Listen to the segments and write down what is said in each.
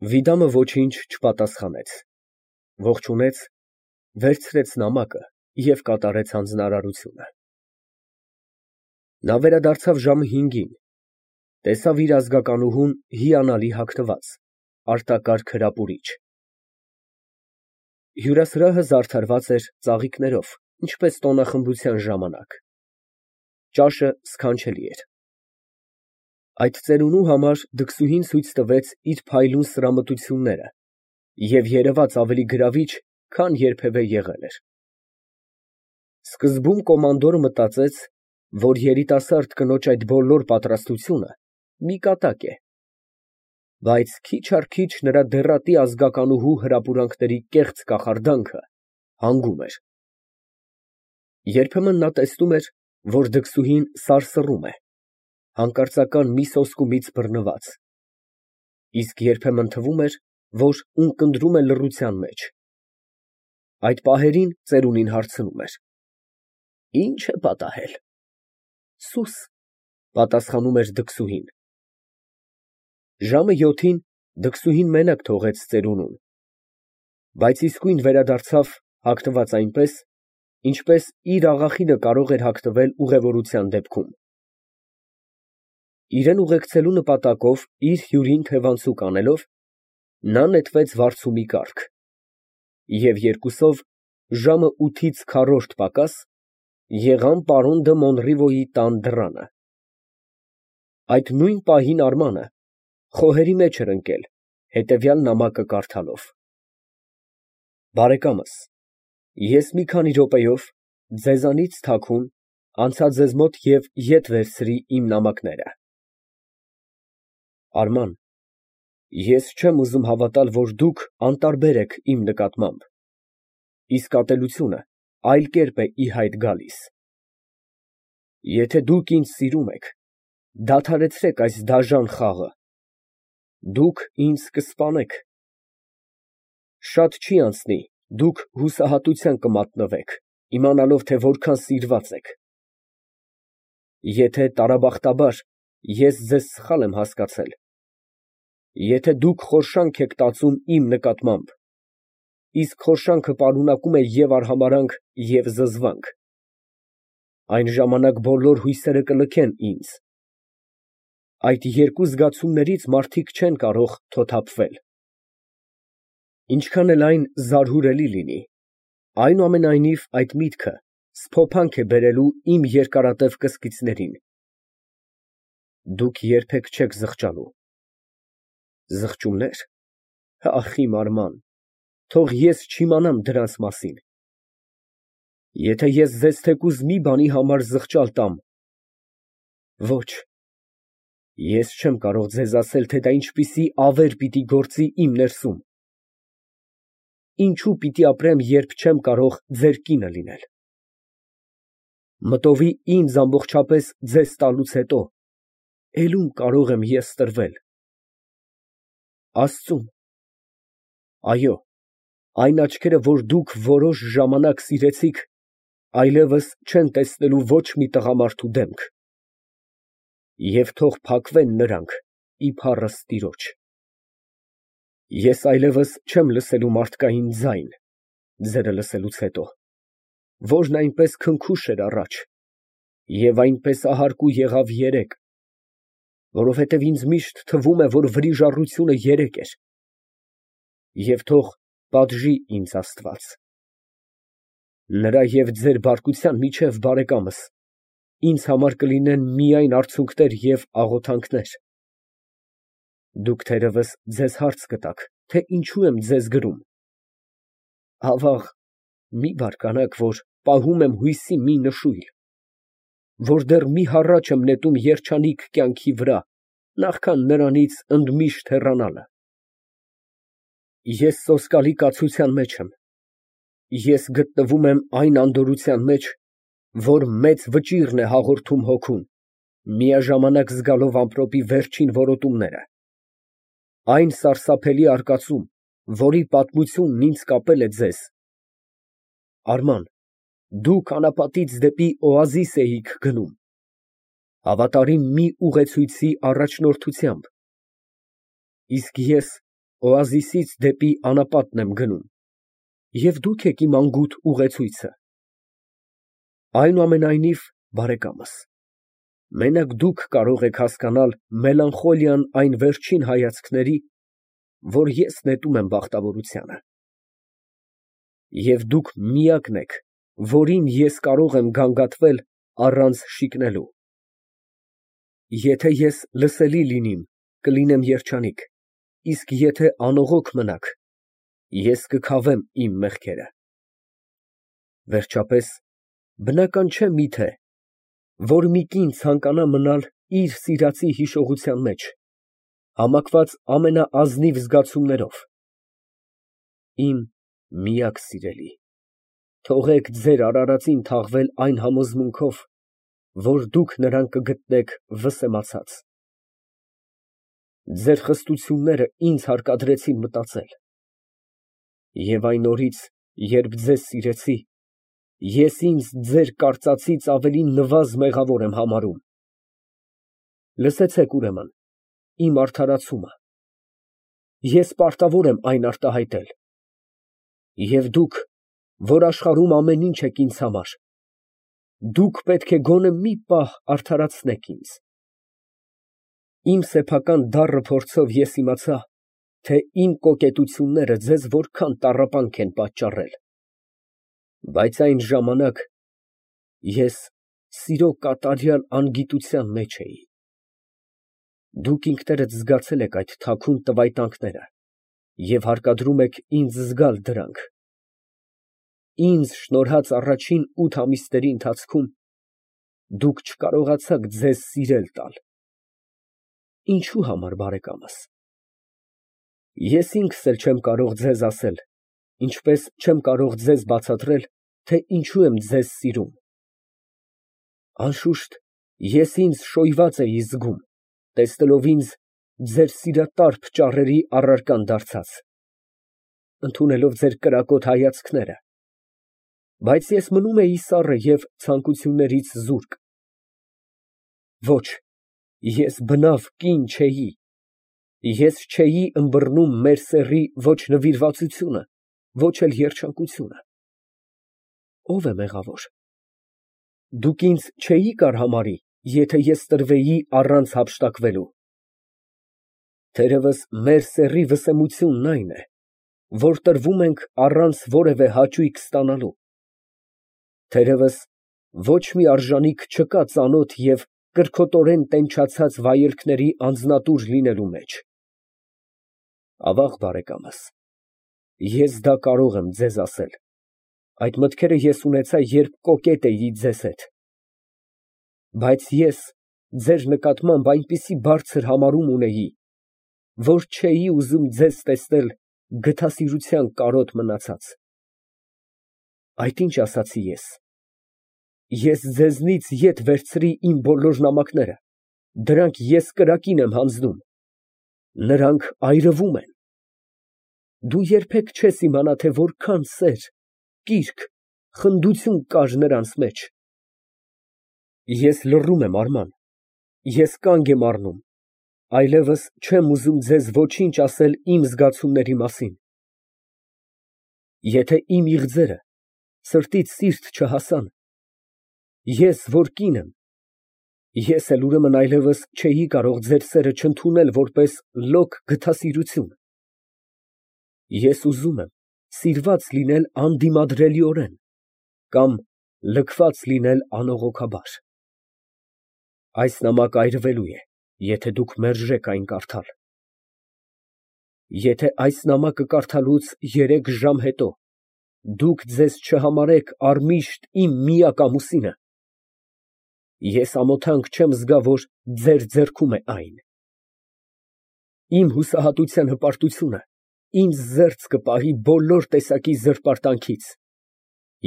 Վիդամը ոչինչ չպատասխանեց, ողջունեց, վերցրեց նամակը և կատարեց հանձնարարությունը։ Նա վերադարձավ ժամը 5-ին, տեսավ իր ազգականուհուն հիանալի հագնված, արտակարգ հրապուրիչ։ Հյուրասրահը զարդարված էր ծաղիկներով, ինչպես տոնախմբության ժամանակ։ Ճաշը սքանչելի էր։ Այդ ծերունու համար դքսուհին ցույց տվեց իր փայլուն սրամտությունները և երևաց ավելի գրավիչ, քան երբևէ եղել էր։ Սկզբում կոմանդորը մտածեց, որ երիտասարդ կնոջ այդ բոլոր պատրաստությունը մի կատակ է, բայց քիչ առ քիչ նրա դեռատի ազգականուհու հրապուրանքների կեղծ կախարդանքը հանգում էր։ Երբեմն նա տեսնում էր, որ դքսուհին սարսռում է, հանկարծական մի սոսկումից բռնված, իսկ երբեմն թվում էր, որ ունկնդրում է լռության մեջ։ Այդ պահերին ծերունին հարցնում էր. «Ի՞նչ է պատահել»։ «Սուս», պատասխանում էր դքսուհին։ Ժամը 7-ին դքսուհին մենակ թողեց ծերունուն, բայց իսկույն վերադարձավ հագնված այնպես, ինչպես իր աղախինը կարող էր հագնվել ուղևորության դեպքում։ Իրան ուղեկցելու նպատակով իր հյուրին թևանցուկ անելով, նա նետվեց վարձումի կառք և երկուսով, ժամը 8-ից քառորդ պակաս, եղան պարոն դը Մոնրիվոյի տան դռանը։ Այդ նույն պահին Արմանը խոհերի մեջ էր ընկել, հետևյալ նամակը կարդալով. Բարեկամս, ես մի քանի րոպեով ձեզանից թաքուն անցա ձեզ մոտ և ետ վերցրի իմ նամակները։ Արման, ես չեմ ուզում հավատալ, որ դուք անտարբեր եք իմ նկատմամբ, իսկ ատելությունը այլ կերպ է ի հայտ գալիս։ Եթե դուք ինձ սիրում եք, դադարեցրեք այս դաժան խաղը, դուք ինձ կսպանեք։ Շատ չի անցնի, դուք հուսահատության կմատնվեք, իմանալով, թե որքան սիրված եք։ Եթե տարաբախտաբար ես ձեզ սխալ եմ հասկացել, եթե դուք խորշանք եք տածում իմ նկատմամբ, իսկ խորշանքը պարունակում է և արհամարհանք, և զզվանք, այն ժամանակ բոլոր հույսերը կլքեն ինձ։ Այդ երկու զգացումներից մարդիկ չեն կարող թոթափվել։ Ինչքան էլ այն զարհուրելի լինի, այնուամենայնիվ այդ միտքը սփոփանք է բերելու իմ երկարատև կսկիցներին։ Դուք երբեք չեք զղջալու։ Զղջումնե՞ր։ Ախ, իմ Արման, թող ես չիմանամ դրանց մասին։ Եթե ես ձեզ թեկուզ մի բանի համար զղջալ տամ, ոչ, ես չեմ կարող ձեզ ասել, թե դա ինչպիսի ավեր պիտի գործի իմ ներսում։ Ինչու պիտի ապրեմ, երբ չեմ կարող ձեր կինը լինել։ Մտովի ինձ ամբողջապես ձեզ տալուց հետո էլ ում կարող եմ ես տրվել։ Աստծուն։ Այո, այն աչքերը, որ դուք որոշ ժամանակ սիրեցիք, այլևս չեն տեսնելու ոչ մի տղամարդու դեմք։ Եվ թող փակվեն նրանք իբառս տիրոջ։ Ես այլևս չեմ լսելու մարդկային ձայն, ձերը լսելուց հետո, որն այնպես քնքուշ էր առաջ և այնպես ահարկու եղավ երեկ, որովհետև ինձ միշտ թվում է, որ վրիժառությունը երեկ էր, և թող պատժի ինձ Աստված։ Նրա և ձեր բարկության միջև, բարեկամս, ինձ համար կլինեն միայն արցունքներ և աղոթանքներ։ Դուք թերևս ձեզ հարց կտաք, թե ինչու եմ ձեզ գրում։ Ավաղ, մի բարկանաք, որ պահում եմ հույսի մի նշույլ, որ դեռ մի հառաչ եմ նետում երջանիկ կյանքի վրա, նախքան նրանից ընդմիշտ հեռանալը։ Ես սոսկալի կացության մեջ եմ։ Ես գտնվում եմ այն անդորրության մեջ, որ մեծ վճիռն է հաղորդում հոգուն, միաժամանակ զգալով ամպրոպի վերջին որոտումները։ Այն սարսափելի արկածում, որի պատմությունն ինձ կապել է ձեզ։ Արման, դուք անապատից դեպի օազիս էիք գնում, հավատարիմ մի ուղեցույցի առաջնորդությամբ, իսկ ես օազիսից դեպի անապատն եմ գնում, և դուք եք իմ անգութ ուղեցույցը։ Այնուամենայնիվ, բարեկամս, մենակ դուք կարող եք հասկանալ մելանխոլիան այն վերջին հայացքների, որ ես նետում եմ բախտավորությանը։ Եվ դուք միակն եք, որին ես կարող եմ գանգատվել առանց շիկնելու։ Եթե ես լսելի լինիմ, կլինեմ երջանիկ, իսկ եթե անողոք մնաք, ես կքավեմ իմ մեղքերը։ Վերջապես, բնական չէ միթե, որ մի կին ցանկանա մնալ իր սիրածի հիշողության մեջ, համակված ամենաազնիվ զգացումներով։ Իմ միակ սիրելի, թողեք ձեր արարածին թաղվել այն համոզմունքով, որ դուք նրան կգտնեք վսեմացած։ Ձեր խստությունները ինձ հարկադրեցին մտածել, և այն օրից, երբ ձեզ սիրեցի, ես ինձ ձեր կարծածից ավելի նվազ մեղավոր եմ համարում։ Լսեցեք, ուրեմն, իմ արդարացումը, ես պարտավոր եմ այն արտահայտել, և դուք, որ աշխարհում ամեն ինչ եք ինձ համար, դուք պետք է գոնե մի պահ արդարացնեք ինձ։ Իմ սեփական դառն փորձով ես իմացա, թե իմ կոկետությունները ձեզ որքան տառապանք են պատճառել, բայց այն ժամանակ ես սիրո կատարյալ անգիտության մեջ էի։ Դուք ինքներդ զգացել եք այդ թաքուն տվայտանքները և հարկադրում եք ինձ զգալ դրանք։ Ինձ շնորհած առաջին 8 ամիսների ընթացքում դուք չկարողացաք ձեզ սիրել տալ։ Ինչո՞ւ համար, բարեկամս։ Ես ինքս էլ չեմ կարող ձեզ ասել, ինչպես չեմ կարող ձեզ բացատրել, թե ինչու եմ ձեզ սիրում։ Անշուշտ, ես ինձ շոյված էի զգում, տեսնելով ինձ ձեր սիրատարփ ճառերի առարկան դարձած, ընդունելով ձեր կրակոտ հայացքները, բայց ես մնում էի սառը և ցանկություններից զուրկ։ Ոչ, ես բնավ կին չէի, ես չէի ըմբռնում մեր սեռի ոչ նվիրվածությունը, ոչ էլ երջանկությունը։ Ո՞վ է մեղավոր։ Դուք ինձ չէիք արհամարհի, եթե ես տրվեի առանց հափշտակվելու։ Թերևս մեր սեռի վսեմությունն այն է, որ տրվում ենք առանց որևէ հաճույք ստանալու։ Թերևս ոչ մի արժանիք չկա ծանոթ և կրքոտորեն տենչացած վայելքների անձնատուր լինելու մեջ։ Ավաղ, բարեկամս, ես դա կարող եմ ձեզ ասել, այդ մտքերը ես ունեցա, երբ կոկետ էի ձեզ հետ։ Բայց ես ձեր նկատմամբ այնպիսի բարձր համարում ունեի, որ չէի ուզում ձեզ տեսնել գթասիրության կարոտ մնացած։ Այդ ինչ ասացի ես։ Ես ձեզնից ետ վերցրի իմ բոլոր նամակները, դրանք ես կրակին եմ հանձնում, նրանք այրվում են։ Դու երբեք չես իմանա, թե որքան սեր, կիրք, խնդություն կար նրանց մեջ։ Ես լռում եմ, Արման, ես կանգ եմ առնում, այլևս չեմ ուզում ձեզ ոչինչ ասել իմ զգացումների մասին։ Եթե իմ իղձերը սրտից սիրտ չհասան, ես, որ կին եմ, ես էլ ուրեմն այլևս չէի կարող ձեր սերը չընդունել որպես լոկ գթասիրություն։ Ես ուզում եմ սիրված լինել անդիմադրելիորեն կամ լքված լինել անողոքաբար։ Այս նամակը այրվելու է, եթե դուք մերժեք այն կարդալ։ Եթե այս նամակը կարդալուց 3 ժամ հետո դուք ձեզ չհամարեք առմիշտ իմ միակ ամուսինը, ես ամոթանք չեմ զգա, որ ձեր ձեռքում է այն։ Իմ հուսահատության հպարտությունը ինձ զերծ կպահի բոլոր տեսակի զրպարտանքից,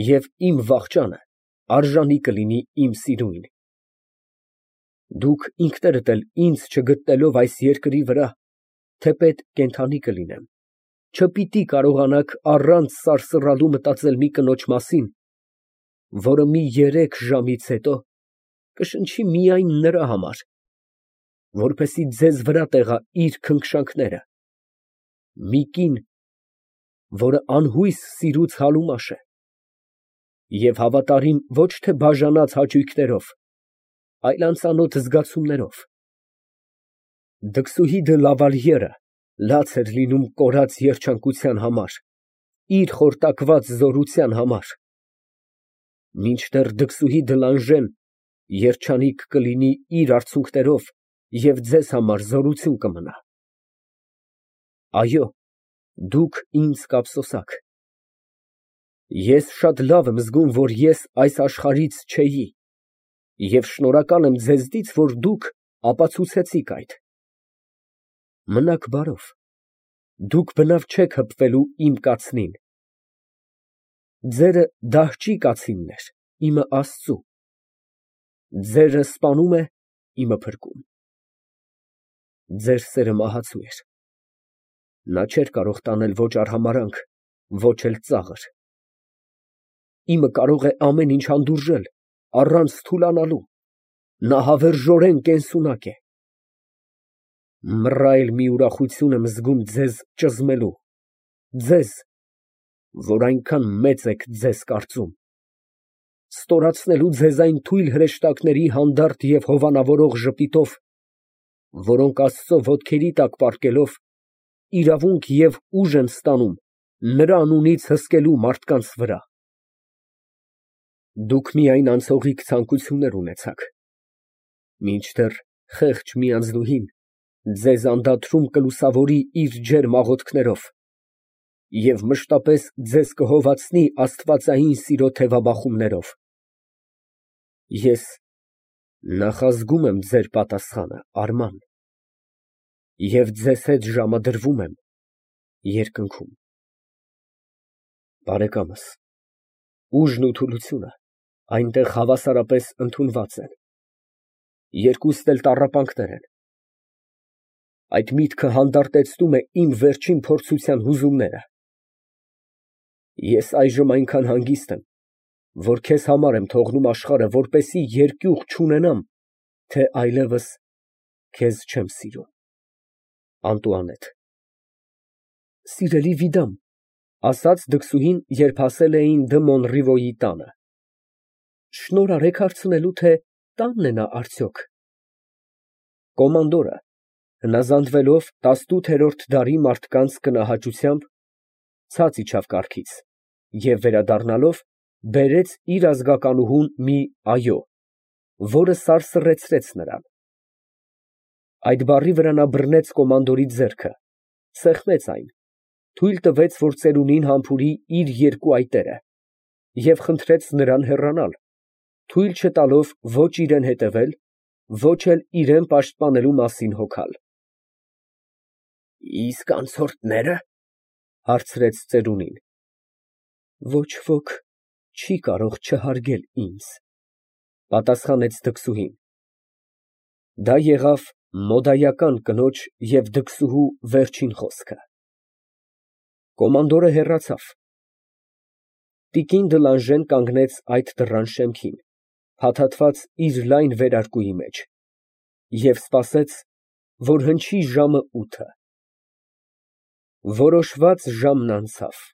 և իմ վախճանը արժանի կլինի իմ սիրուն։ Դուք ինքներդ էլ ինձ չգտնելով այս երկրի վրա, թեպետ կենդանի կլինեմ, չպիտի կարողանաք առանց սարսռալու մտածել մի կնոջ մասին, որը մի 3 ժամից հետո կշնչի միայն նրա համար, որպեսզի ձեզ վրա տեղա իր քնքշանքները, մի կին, որը անհույս սիրուց հալումաշ է և հավատարիմ ոչ թե բաժանած հաճույքներով, այլ անծանոթ զգացումներով։ Դքսուհիդը լավալիերը լաց էր լինում կորած երջանկության համար, իր խորտակված զորության համար, մինչդեռ դքսուհի Դլանժեն երջանիկ կլինի իր արցունքներով և ձեզ համար զորություն կմնա։ Այո, դուք ինձ կափսոսաք։ Ես շատ լավ եմ զգում, որ ես այս աշխարհից չէի, և շնորհակալ եմ ձեզնից, որ դուք ապացուցեցիք այդ։ Մնաք բարով, դուք բնավ չեք հպվելու իմ կացնին։ Ձերը դահճի կացինն էր, իմը Աստծու, ձերը սպանում է, իմը փրկում։ Ձեր սերը մահացու էր, նա չէր կարող տանել ոչ արհամարհանք, ոչ էլ ծաղր։ Իմը կարող է ամեն ինչ հանդուրժել, առանց թուլանալու, նա հավերժորեն կենսունակ է։ Մռայլ մի ուրախություն եմ զգում ձեզ ճզմելու, ձեզ, որ այնքան մեծ եք ձեզ կարծում, ստորացնելու ձեզ այն թույլ հրեշտակների հանդարտ և հովանավորող ժպիտով, որոնք Աստծու ոտքերի տակ պառկելով, իրավունք և ուժ են ստանում նրա անունից հսկելու մարդկանց վրա։ Դուք միայն անցողիկ ցանկություններ ունեցաք, մինչդեռ խեղճ մի անձնուհին ձեզ անդադարում կլուսավորի իր ջերմ աղոթքներով և մշտապես ձեզ կհովացնի աստվածային սիրո թևաբախումներով։ Ես նախազգում եմ ձեր պատասխանը, Արման, և ձեզ հետ ժամադրվում եմ երկնքում։ Բարեկամս, ուժն ու թուլությունը այնտեղ հավասարապես ընդունված են, երկուսն էլ տառապանքներ են։ Այդ միտքը հանդարտեցնում է իմ վերջին փորձության հուզումները։ Ես այժմ այնքան հանգիստ եմ, որ քեզ համար եմ թողնում աշխարհը, որպեսզի երկյուղ չունենամ, թե այլևս քեզ չեմ սիրում։ ԱՆՏՈՒԱՆԵՏ ֊ Սիրելի Վիդամ, ֊ ասաց դքսուհին, երբ հասել էին Դը Մոնրիվոյի տանը, ֊ շնորհ արեք հարցնելու, թե տա՞նն է նա արդյոք։ Կոմանդորը, հնազանդվելով 18-րդ դարի մարդկանց կնահաճությամբ, ցած իջավ կառքից և վերադառնալով, բերեց իր ազգականուհուն մի այո, որը սարսռեցրեց նրան։ Այդ բառի վրա նա բռնեց կոմանդորի ձեռքը, սեղմեց այն, թույլ տվեց, որ ծերունին համբուրի իր երկու այտերը և խնդրեց նրան հեռանալ, թույլ չտալով ոչ իրան հետևել, ոչ էլ իրան պաշտպանելու մասին հոգալ։ Իսկ անցորդնե՞րը, ֊ հարցրեց ծերունին։ Ոչ ոք չի կարող չհարգել ինձ, ֊ պատասխանեց դքսուհին։ Դա եղավ մոդայական կնոջ և դքսուհու վերջին խոսքը։ Կոմանդորը հեռացավ։ Տիկին Դլանժեն կանգնեց այդ դռան շեմքին, փաթաթված իր լայն վերարկուի մեջ, և սպասեց, որ հնչի ժամը 8-ը։ Որոշված ժամն անցավ։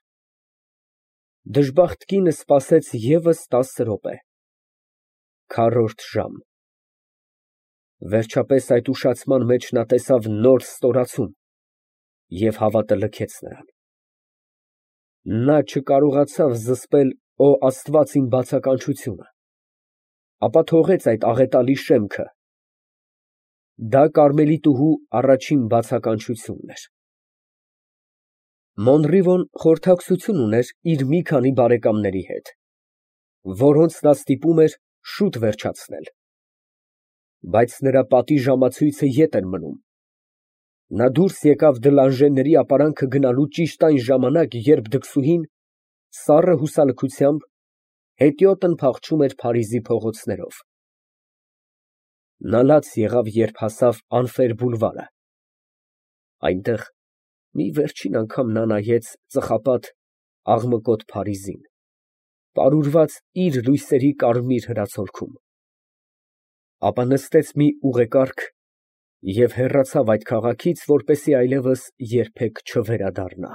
Դժբախտ կինը սպասեց ևս 10 րոպե։ Քառորդ ժամ։ Վերջապես այդ ուշացման մեջ նա տեսավ նոր ստորացում և հավատը լքեց նրան։ Նա չկարողացավ զսպել «Օ Աստված իմ բացականչությունը», ապա թողեց այդ աղետալի շեմքը։ Դա կարմելիտուհու առաջին բացականչությունն էր։ Մոնրիվոն խորհրդակցություն ուներ իր մի քանի բարեկամների հետ, որոնց նա ստիպում էր շուտ վերջացնել։ Բայց նրա պատիժամացույցը ետ էր մնում։ Նա դուրս եկավ Դլանժենների ապարանքը գնալու ճիշտ այն ժամանակ, երբ դքսուհին, սառը հուսալքությամբ, հետիոտն փախչում էր Փարիզի փողոցներով։ Նա լաց եղավ, երբ հասավ Անֆեր բուլվարը։ Այնտեղ մի վերջին անգամ նա նայեց ծխապատ, աղմկոտ Փարիզին, պարուրված իր լույսերի կարմիր հրացլքում, ապա նստեց մի ուղեկառք Եվ հեռացավ այդ քաղաքից, որպեսզի այլևս երբեք չվերադառնա։